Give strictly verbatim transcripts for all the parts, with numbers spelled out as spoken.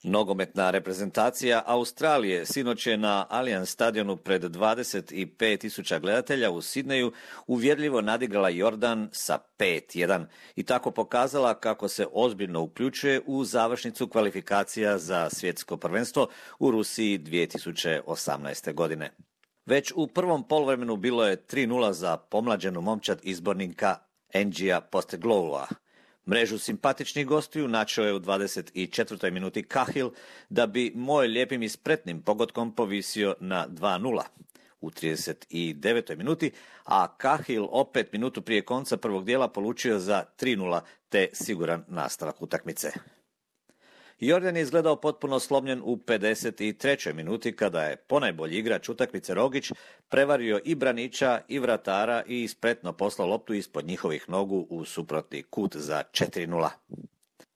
Nogometna reprezentacija Australije sinoć je na Allianz stadionu pred dvadeset pet tisuća gledatelja u Sidneju uvjerljivo nadigrala Jordan sa pet jedan i tako pokazala kako se ozbiljno uključuje u završnicu kvalifikacija za svjetsko prvenstvo u Rusiji dvije tisuće osamnaeste. godine. Već u prvom poluvremenu bilo je tri nula za pomlađenu momčad izbornika Engija Postegloua. Mrežu simpatičnih gostiju načeo je u dvadeset četvrtoj minuti Cahill da bi moj lijepim i spretnim pogodkom povisio na dva nula. U trideset devetoj minuti, a Cahill opet minutu prije konca prvog dijela polučio za tri nula te siguran nastavak utakmice. Jordan je izgledao potpuno slomljen u pedeset trećoj minuti kada je ponajbolji igrač utakmice Rogić prevario i braniča i vratara i spretno poslao loptu ispod njihovih nogu u suprotni kut za četiri nula.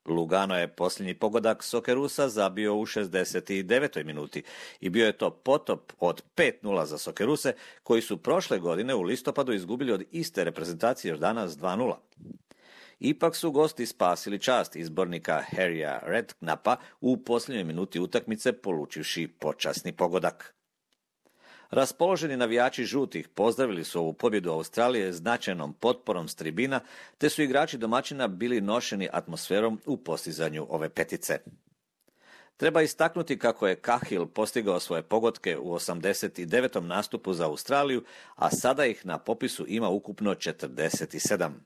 Lugano je posljednji pogodak Sokerusa zabio u šezdeset devetoj minuti i bio je to potop od pet nula za Sokeruse koji su prošle godine u listopadu izgubili od iste reprezentacije Jordana s dva nula. Ipak su gosti spasili čast izbornika Harrya Redknappa u posljednjoj minuti utakmice polučivši počasni pogodak. Raspoloženi navijači žutih pozdravili su ovu pobjedu Australije značajnom potporom s tribina, te su igrači domaćina bili nošeni atmosferom u postizanju ove petice. Treba istaknuti kako je Cahill postigao svoje pogodke u osamdeset devetom nastupu za Australiju, a sada ih na popisu ima ukupno četrdeset sedam.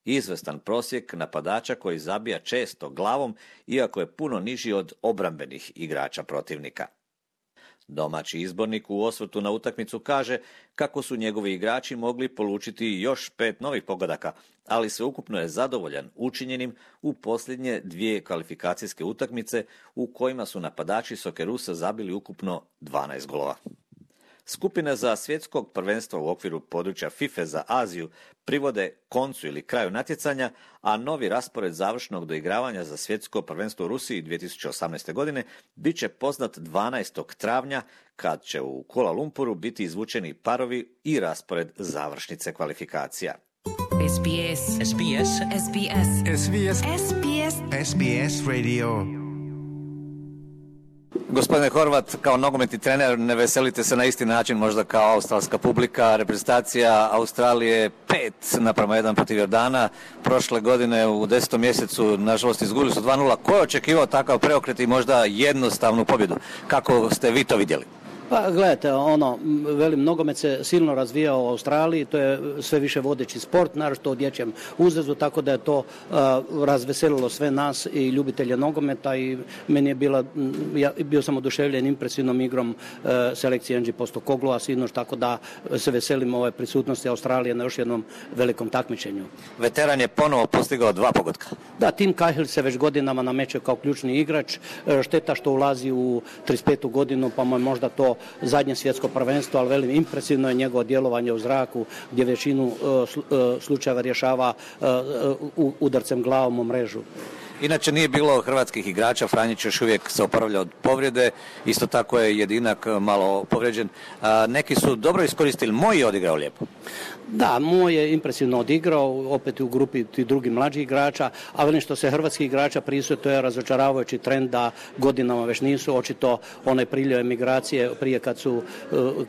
Izvestan prosjek napadača koji zabija često glavom, iako je puno niži od obrambenih igrača protivnika. Domaći izbornik u osvrtu na utakmicu kaže kako su njegovi igrači mogli polučiti još pet novih pogodaka, ali sveukupno je zadovoljan učinjenim u posljednje dvije kvalifikacijske utakmice u kojima su napadači Sokerusa zabili ukupno dvanaest golova. Skupine za svjetskog prvenstva u okviru područja FIFA za Aziju privode koncu ili kraju natjecanja, a novi raspored završnog doigravanja za svjetsko prvenstvo u Rusiji dvije tisuće osamnaeste. godine bit će poznat dvanaestog travnja kad će u Kuala Lumpuru biti izvučeni parovi i raspored završnice kvalifikacija. S B S. S B S. S B S. S B S. S B S. S B S Radio. Gospodine Horvat, kao nogometni trener ne veselite se na isti način možda kao australska publika. Reprezentacija Australije pet naprama jedan protiv Jordana. Prošle godine u desetom mjesecu nažalost izgubili su dva nula. Ko je očekivao takav preokret i možda jednostavnu pobjedu? Kako ste vi to vidjeli? Pa gledajte, ono, velim, nogomet se silno razvijao u Australiji, to je sve više vodeći sport, naročito u dječjem uzrastu, tako da je to uh, razveselilo sve nas i ljubitelje nogometa i meni je bila, ja bio sam oduševljen impresivnom igrom uh, selekcije Engija Postecogloua sinoć, tako da se veselim ove prisutnosti Australije na još jednom velikom takmičenju. Veteran je ponovo postigao dva pogotka. Da, Tim Cahill se već godinama nameće kao ključni igrač, šteta što ulazi u trideset petu godinu, pa mu je možda to zadnje svjetsko prvenstvo, ali velim, impresivno je njegovo djelovanje u zraku gdje većinu uh, slučajeva rješava uh, udarcem glavom u mrežu. Inače nije bilo hrvatskih igrača, Franjić još uvijek se oporavlja od povrede, isto tako je Jedinak malo povrijeđen. A, neki su dobro iskoristili, Moj je odigrao lijepo. Da, Moj je impresivno odigrao, opet u grupi ti drugi mlađih igrača, a velim što se hrvatskih igrača prisuje, to je razočaravajući trend da godinama već nisu, očito onaj priljev emigracije prije kad su,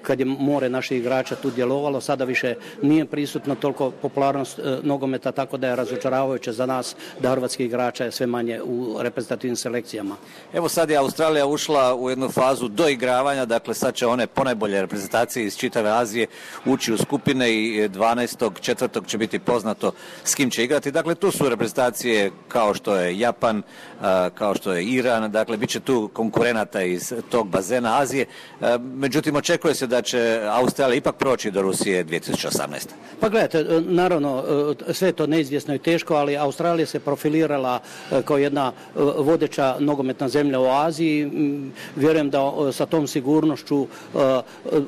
kad je more naših igrača tu djelovalo, sada više nije prisutno toliko popularnost nogometa, tako da je razočaravajuće za nas da hrvatskih igrača je sve manje u reprezentativnim selekcijama. Evo sad je Australija ušla u jednu fazu doigravanja, dakle sad će one ponajbolje reprezentacije iz čitave Azije ući u skupine i dvanaestog četvrtog će biti poznato s kim će igrati. Dakle, tu su reprezentacije kao što je Japan, kao što je Iran, dakle, bit će tu konkurenata iz tog bazena Azije. Međutim, očekuje se da će Australija ipak proći do Rusije dvije tisuće osamnaeste. Pa gledajte, naravno, sve je to neizvjesno i teško, ali Australija se profilirala kao jedna vodeća nogometna zemlja u Aziji. Vjerujem da sa tom sigurnošću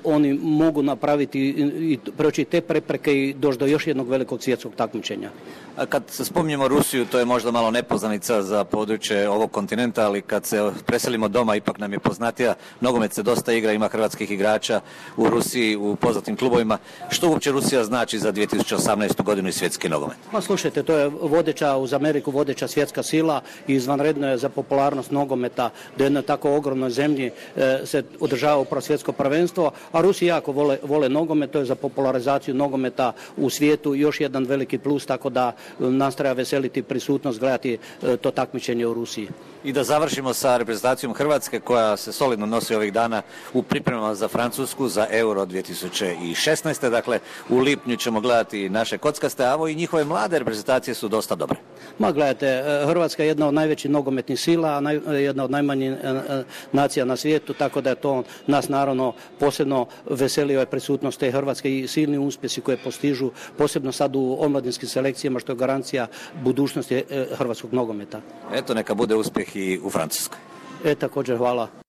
oni mogu napraviti i proći te prepreke i doći do još jednog velikog svjetskog takmičenja. A kad se spominjemo Rusiju, to je možda malo nepoznanica za područje ovog kontinenta, ali kad se preselimo doma, ipak nam je poznatija. Nogomet se dosta igra, ima hrvatskih igrača u Rusiji, u poznatim klubovima. Što uopće Rusija znači za dvije tisuće osamnaestu. godinu i svjetski nogomet? Pa slušajte, to je vodeća uz Ameriku, vodeća svjetska sila i izvanredno je za popularnost nogometa da jednoj tako ogromnoj zemlji se održava upravo svjetsko prvenstvo, a Rusi jako vole, vole nogomet, to je za popularizaciju nogometa u svijetu još jedan veliki plus, tako da nas treba veseliti prisutnost, gledati to takmičenje u Rusiji. I da završimo sa reprezentacijom Hrvatske koja se solidno nosi ovih dana u pripremama za Francusku za Euro dvije tisuće šesnaeste. Dakle, u lipnju ćemo gledati naše kockaste, a ovo i njihove mlade reprezentacije su dosta dobre. Ma gledajte, Hrvatska je jedna od najvećih nogometnih sila, a naj, jedna od najmanjih nacija na svijetu, tako da je to nas naravno posebno veseli ovaj prisutnost te Hrvatske i silni uspjesi koje postižu, posebno sad u omladinskim selekcijama, što je garancija budućnosti hrvatskog nogometa. Eto, neka bude uspjeh i u Francuskoj. E, također, hvala.